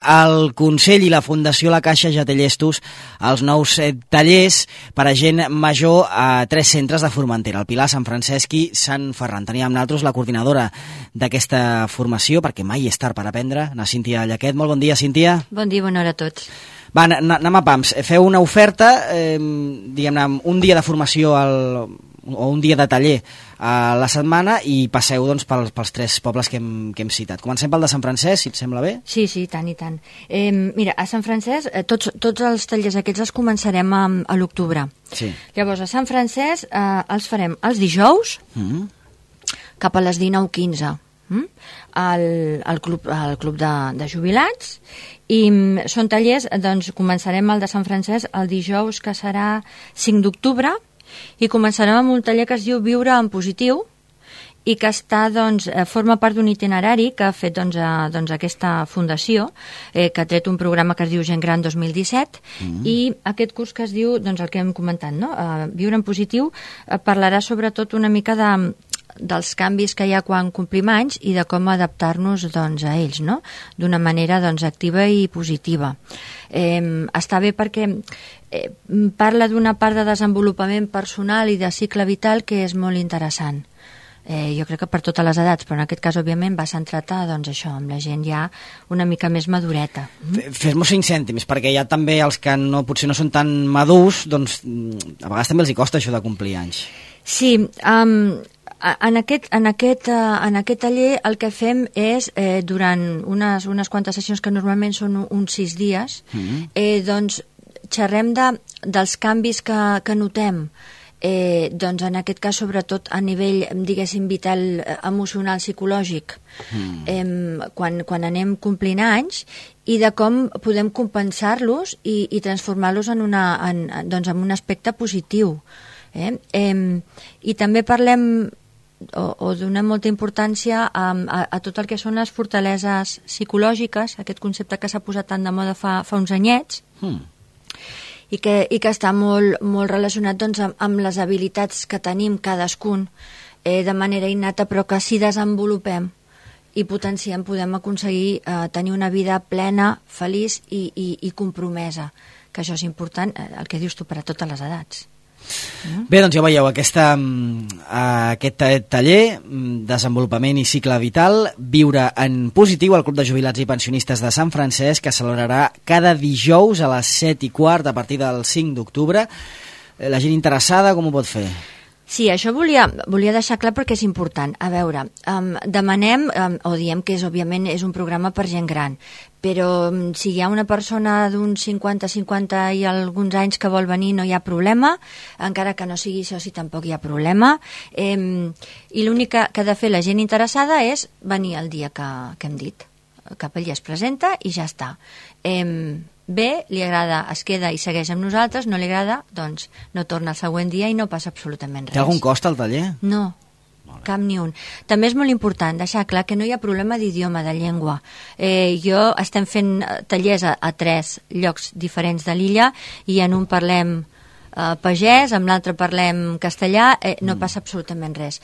El Consell i la Fundació La Caixa ja té llestos els nous tallers per a gent major a 3 centres de Formentera, el Pilar, Sant Francesc i Sant Ferran. Teníem amb nosaltres la coordinadora d'aquesta formació, perquè mai és tard per aprendre, la Cíntia Llaquet. Molt bon dia, Cíntia. Bon dia, bona hora a tots. Va, anem a pams. Feu una oferta, diguem-ne, un dia de formació o un dia de taller a la setmana i passeu doncs, pels 3 pobles que hem citat. Comencem pel de Sant Francesc, si et sembla bé. Sí, tant i tant. Mira, a Sant Francesc tots els tallers aquests els començarem a l'octubre. Sí. Llavors, a Sant Francesc els farem els dijous cap a les 19:15 al club de jubilats, i són tallers, doncs començarem el de Sant Francesc el dijous, que serà 5 d'octubre, i començarem amb un taller que es diu Viure en Positiu i que forma part d'un itinerari que ha fet aquesta fundació, que ha tret un programa que es diu Gent Gran 2017, i aquest curs que es diu, el que hem comentat, no? Viure en Positiu, parlarà sobretot una mica dels canvis que hi ha quan complim anys i de com adaptar-nos a ells, no? D'una manera activa i positiva. Està bé perquè parla d'una part de desenvolupament personal i de cicle vital que és molt interessant. Jo crec que per totes les edats, però en aquest cas, òbviament, va centrat això, amb la gent ja una mica més madureta. Fes-m'ho 5 cèntims, perquè ja també els que potser no són tan madurs, doncs a vegades també els hi costa això de complir anys. Sí, en aquest taller el que fem és, durant unes quantes sessions que normalment són uns 6 dies, doncs xerrem dels canvis que notem, doncs en aquest cas sobretot a nivell, diguéssim, vital, emocional, psicològic, quan anem complint anys, i de com podem compensar-los i transformar-los en un aspecte positiu. I també parlem o donem molta importància a tot el que són les fortaleses psicològiques, aquest concepte que s'ha posat tan de moda fa uns anyets, i que està molt relacionat amb les habilitats que tenim cadascun de manera innata, però que si desenvolupem i potenciem podem aconseguir tenir una vida plena, feliç i compromesa, que això és important, el que dius tu, per a totes les edats. Bé, doncs ja veieu, aquest taller, desenvolupament i cicle vital, Viure en Positiu, al Club de Jubilats i Pensionistes de Sant Francesc, que celebrarà cada dijous a les 7:15 a partir del 5 d'octubre. La gent interessada com ho pot fer? Sí, això volia deixar clar perquè és important. A veure, demanem, o diem que òbviament és un programa per gent gran, però si hi ha una persona d'uns 50 i alguns anys que vol venir, no hi ha problema, encara que no sigui soci tampoc hi ha problema, i l'únic que ha de fer la gent interessada és venir el dia que hem dit, que ell es presenta i ja està. Bé, li agrada, es queda i segueix amb nosaltres, no li agrada, doncs no torna el següent dia i no passa absolutament res. Té algun cost al taller? No, cap ni un. També és molt important deixar clar que no hi ha problema d'idioma, de llengua. Estem fent tallers a 3 llocs diferents de l'illa i en un parlem pagès, amb l'altre parlem castellà, no passa absolutament res.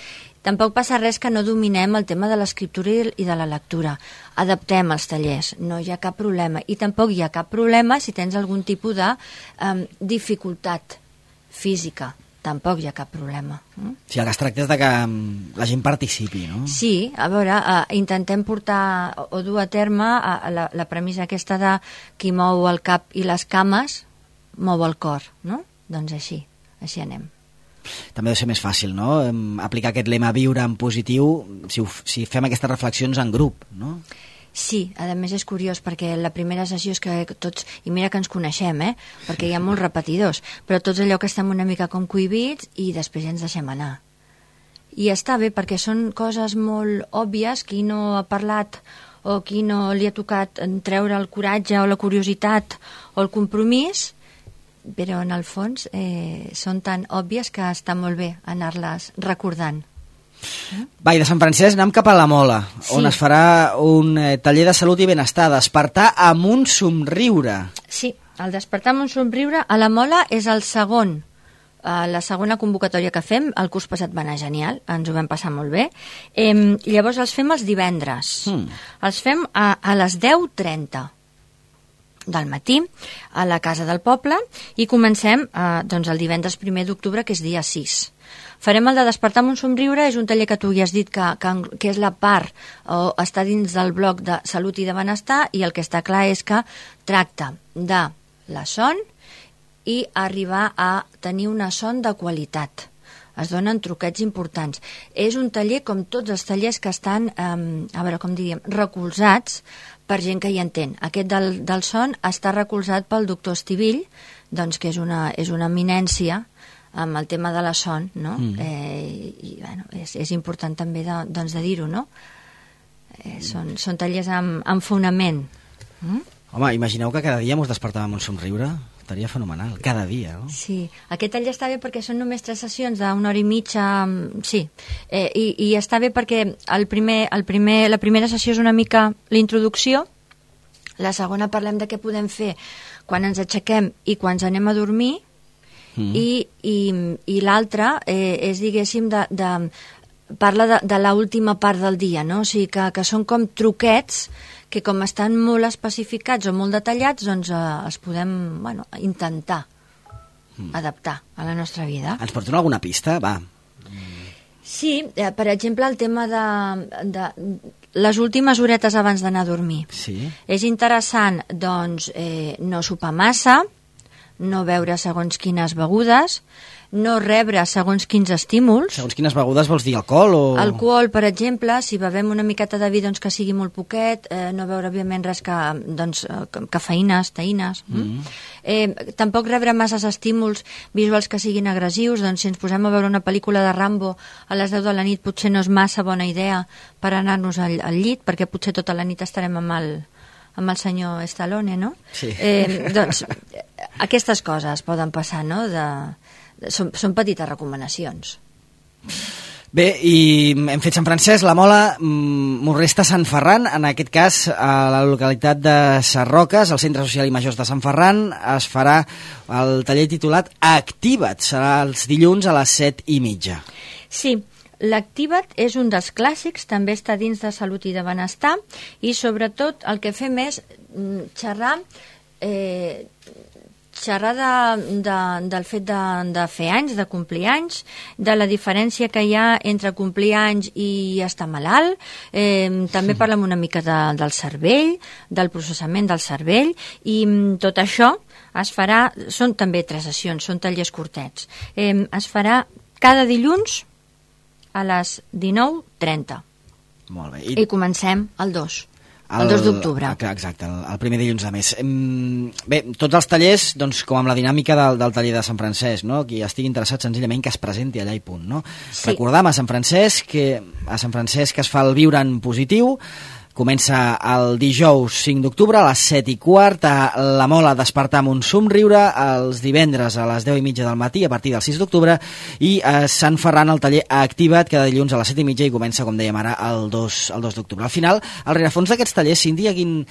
Tampoc passa res que no dominem el tema de l'escriptura i de la lectura. Adaptem els tallers, no hi ha cap problema. I tampoc hi ha cap problema si tens algun tipus de dificultat física. Tampoc hi ha cap problema. Sí, el que es tracta és que la gent participi, no? Sí, a veure, intentem portar o dur a terme la premissa aquesta de qui mou el cap i les cames mou el cor, no? Doncs així anem. També ha de ser més fàcil, no?, aplicar aquest lema Viure en Positiu si fem aquestes reflexions en grup, no? Sí, a més és curiós perquè la primera sessió és que tots, i mira que ens coneixem, perquè hi ha molts repetidors, però tots allò que estem una mica com cohibits i després ja ens deixem anar. I està bé perquè són coses molt òbvies, qui no ha parlat o qui no li ha tocat treure el coratge o la curiositat o el compromís, però en el fons són tan òbvies que està molt bé anar-les recordant. Va, i de Sant Francesc anem cap a la Mola, on es farà un taller de salut i benestar, Despertar amb un somriure. Sí, el Despertar amb un somriure a la Mola és la segona convocatòria que fem. El curs passat va anar genial, ens ho vam passar molt bé. Llavors els fem els divendres. Els fem a les 10:30. del matí a la Casa del Poble i comencem doncs el divendres 1 d'octubre, que és dia 6. Farem el de Despertar amb un somriure, és un taller que tu ja has dit que és la part o està dins del bloc de Salut i de Benestar, i el que està clar és que tracta de la son i arribar a tenir una son de qualitat. Es donen truquets importants. És un taller com tots els tallers que estan, a veure com diríem, recolzats per gent que hi entén. Aquest del son està recolzat pel doctor Estivill, doncs, que és una eminència amb el tema de la son, no? I bueno, és important també de dir-ho, no? Són tallers amb fonament. Home, imagineu que cada dia mos despertàvem amb un somriure. Estaria fenomenal, cada dia, no? Sí, aquest taller està bé perquè són només 3 sessions d'una hora i mitja, sí, i està bé perquè la primera sessió és una mica l'introducció, la segona parlem de què podem fer quan ens aixequem i quan ens anem a dormir, i l'altra és, diguéssim, parla de l'última part del dia, no? O sigui que són com truquets que com estan molt especificats o molt detallats, doncs els podem intentar adaptar a la nostra vida. Ens pots donar alguna pista? Va. Sí, per exemple, el tema de les últimes horetes abans d'anar a dormir. Sí. És interessant, doncs, no sopar massa, no beure segons quines begudes, no rebre segons quins estímuls. Segons quines begudes vols dir alcohol o...? Alcohol, per exemple, si bevem una miqueta de vi, doncs que sigui molt poquet, no beure, òbviament, res que, doncs, cafeïnes, teïnes. Tampoc rebre masses estímuls visuals que siguin agressius, doncs si ens posem a veure una pel·lícula de Rambo a les 10 de la nit potser no és massa bona idea per anar-nos al llit, perquè potser tota la nit estarem amb el senyor Stallone, no? Sí. Doncs aquestes coses poden passar, no?, són petites recomanacions. Bé, i hem fet Sant Francesc, la Mola, m'ho resta Sant Ferran, en aquest cas a la localitat de Sarroques, al Centre Social i Majors de Sant Ferran, es farà el taller titulat Activa't, serà els dilluns a les 7:30. Sí, l'Activa't és un dels clàssics, també està dins de Salut i de Benestar, i sobretot el que fem és xerrar del fet de fer anys, de complir anys, de la diferència que hi ha entre complir anys i estar malalt. També parlem una mica del cervell, del processament del cervell, i tot això es farà, són també 3 sessions, són tallers curtets. Es farà cada dilluns a les 19:30. Molt bé. I comencem el 2. El 2 d'octubre. Exacte, el primer dilluns de mes. Bé, tots els tallers, doncs, com amb la dinàmica del taller de Sant Francesc, no? Qui estigui interessat senzillament que es presenti allà i punt, no? Sí. Recordam a Sant Francesc que es fa el Viure en Positiu. Comença el dijous 5 d'octubre a les 7:15 a la Mola Despertar amb un somriure, els divendres a les 10:30 del matí a partir del 6 d'octubre, i a Sant Ferran el taller Activa't cada dilluns a les 7:30 i comença, com dèiem ara, el 2 d'octubre. Al final, el rerefons d'aquests tallers, Cíntia, quin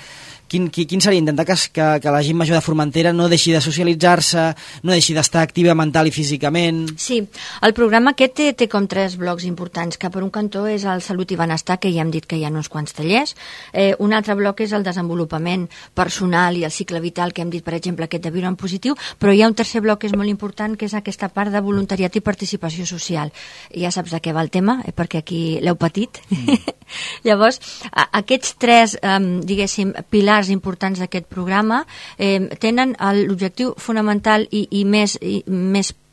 seria? Intentar que la gent major de Formentera no deixi de socialitzar-se, no deixi d'estar activa mental i físicament... Sí, el programa aquest té com 3 blocs importants, que per un cantó és el Salut i Benestar, que ja hem dit que hi ha uns quants tallers. Un altre bloc és el desenvolupament personal i el cicle vital, que hem dit, per exemple, aquest de Viure en Positiu, però hi ha un tercer bloc que és molt important, que és aquesta part de voluntariat i participació social. Ja saps de què va el tema, perquè aquí l'heu patit. Llavors, aquests 3, diguéssim, pilars importants d'aquest programa tenen l'objectiu fonamental i més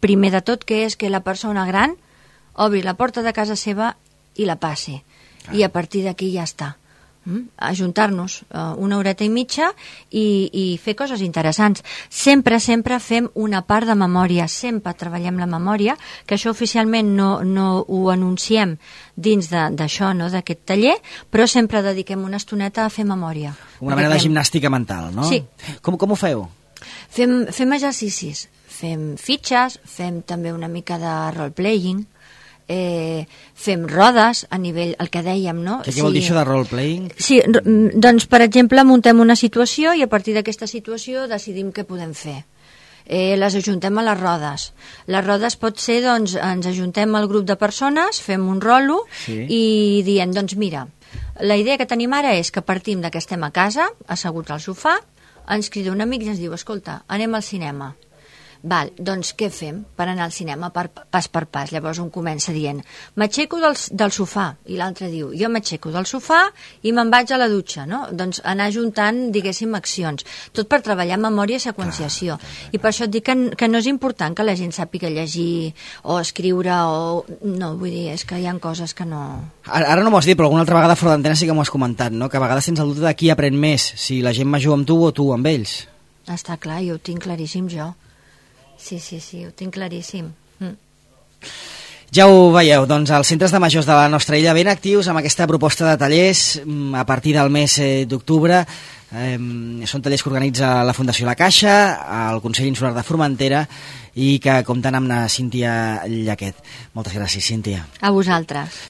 primer de tot, que és que la persona gran obri la porta de casa seva i la passi. I a partir d'aquí ja està. Ajuntar-nos una horeta i mitja i fer coses interessants. Sempre fem una part de memòria, sempre treballem la memòria, que això oficialment no ho anunciem dins d'això, no, d'aquest taller, però sempre dediquem una estoneta a fer memòria. Una mena de gimnàstica mental, no? Sí. Com ho feu? Fem exercicis, fem fitxes, fem també una mica de role-playing, fem rodes a nivell, el que dèiem, no? Què vol dir això de role-playing? Sí, doncs, per exemple, muntem una situació i a partir d'aquesta situació decidim què podem fer. Les ajuntem a les rodes. Les rodes pot ser, doncs, ens ajuntem al grup de persones, fem un rolo i diem, doncs mira, la idea que tenim ara és que partim de que estem a casa, asseguts al sofà, ens crida un amic i ens diu, escolta, anem al cinema. Val, doncs què fem per anar al cinema pas per pas? Llavors un comença dient, m'aixeco del sofà, i l'altre diu, jo m'aixeco del sofà i me'n vaig a la dutxa, no? Doncs anar juntant, diguéssim, accions, tot per treballar memòria i seqüenciació. I per això et dic que no és important que la gent sàpiga llegir o escriure o... No, vull dir, és que hi ha coses que no... Ara no m'ho has dit, però alguna altra vegada fora d'antena sí que m'ho has comentat, no? Que a vegades tens el dubte de qui aprèn més, si la gent major amb tu o tu amb ells. Està clar, jo ho tinc claríssim, jo. Sí, ho tinc claríssim. Ja ho veieu, doncs els centres de majors de la nostra illa ben actius amb aquesta proposta de tallers a partir del mes d'octubre. Són tallers que organitza la Fundació La Caixa, el Consell Insular de Formentera i que compten amb la Cíntia Llaquet. Moltes gràcies, Cíntia. A vosaltres.